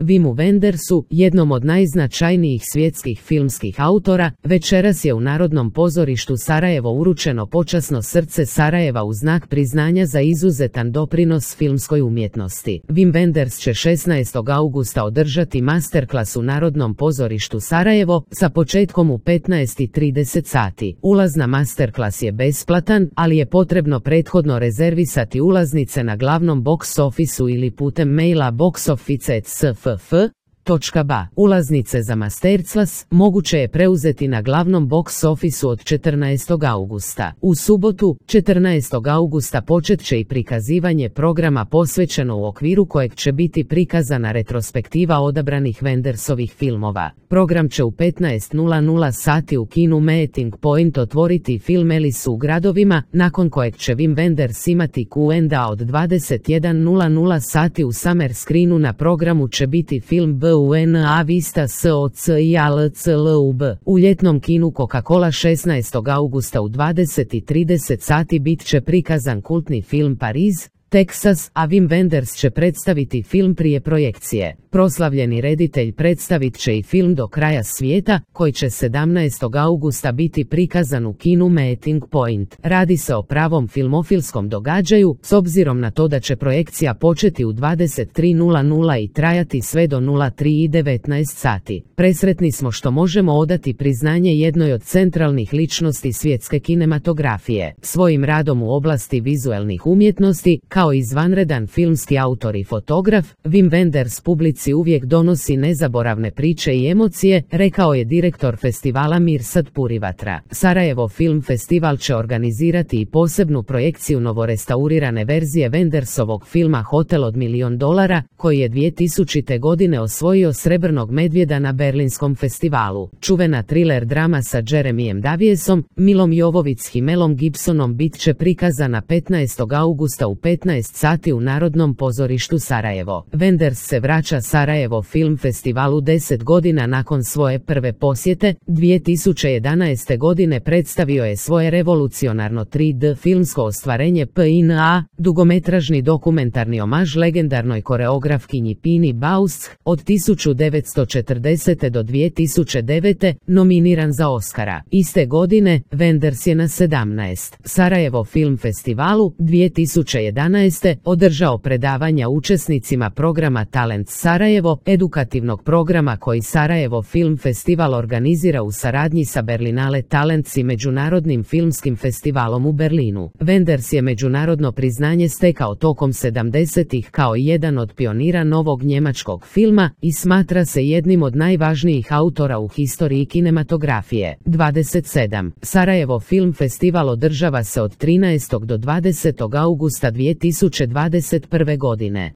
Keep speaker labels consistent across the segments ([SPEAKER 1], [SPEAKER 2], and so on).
[SPEAKER 1] Wimu Wendersu, jednom od najznačajnijih svjetskih filmskih autora, večeras je u Narodnom pozorištu Sarajevo uručeno počasno srce Sarajeva u znak priznanja za izuzetan doprinos filmskoj umjetnosti. Wim Wenders će 16. augusta održati masterklas u Narodnom pozorištu Sarajevo sa početkom u 15:30 sati. Ulaz na masterklas je besplatan, ali je potrebno prethodno rezervisati ulaznice na glavnom box officeu ili putem maila boxoffice@sff.ba. Ulaznice za masterclass moguće je preuzeti na glavnom box officeu od 14. augusta. U subotu, 14. augusta počet će i prikazivanje programa posvećeno u okviru kojeg će biti prikazana retrospektiva odabranih Wendersovih filmova. Program će u 15:00 sati u kinu Meeting Point otvoriti film Alice u gradovima, nakon kojeg će Wim Wenders imati Q&A od 21:00 sati u Summer Screenu. Na programu će biti film Buena Vista Socijalclub. U ljetnom kinu Coca-Cola 16. augusta u 20:30 sati bit će prikazan kultni film Pariz, Teksas, a Wim Wenders će predstaviti film prije projekcije. Proslavljeni reditelj predstavit će i film Do kraja svijeta, koji će 17. augusta biti prikazan u kinu Meeting Point. Radi se o pravom filmofilskom događaju, s obzirom na to da će projekcija početi u 23:00 i trajati sve do 03:19 sati. Presretni smo što možemo odati priznanje jednoj od centralnih ličnosti svjetske kinematografije. Svojim radom u oblasti vizuelnih umjetnosti, kao izvanredan filmski autor i fotograf, Wim Wenders publici uvijek donosi nezaboravne priče i emocije, rekao je direktor festivala Mirsad Purivatra. Sarajevo Film Festival će organizirati i posebnu projekciju novorestaurirane verzije Wendersovog filma Hotel od $1.000.000, koji je 2000. godine osvojio srebrnog medvjeda na Berlinskom festivalu. Čuvena thriller drama sa Jeremyem Daviesom, Milom Jovović i Melom Gibsonom bit će prikazana 15. augusta u 15 sati u Narodnom pozorištu Sarajevo. Wenders se vraća Sarajevo Film Festivalu 10 godina nakon svoje prve posjete. 2011. godine predstavio je svoje revolucionarno 3D filmsko ostvarenje PNA, dugometražni dokumentarni omaž legendarnoj koreografkinji Pini Bausch, od 1940. do 2009. nominiran za Oscara. Iste godine, Wenders je na 17. Sarajevo Film Festivalu 2011. održao predavanja učesnicima programa Talent Sarajevo, edukativnog programa koji Sarajevo Film Festival organizira u saradnji sa Berlinale Talents i Međunarodnim filmskim festivalom u Berlinu. Wenders je međunarodno priznanje stekao tokom 70-ih kao jedan od pionira novog njemačkog filma i smatra se jednim od najvažnijih autora u historiji kinematografije. 27. Sarajevo Film Festival održava se od 13. do 20. augusta 2021. godine.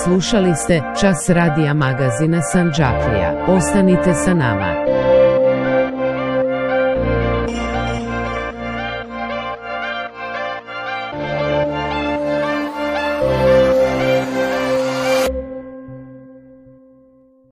[SPEAKER 1] Slušali ste Čas radija magazina Sandžaklija. Ostanite sa nama.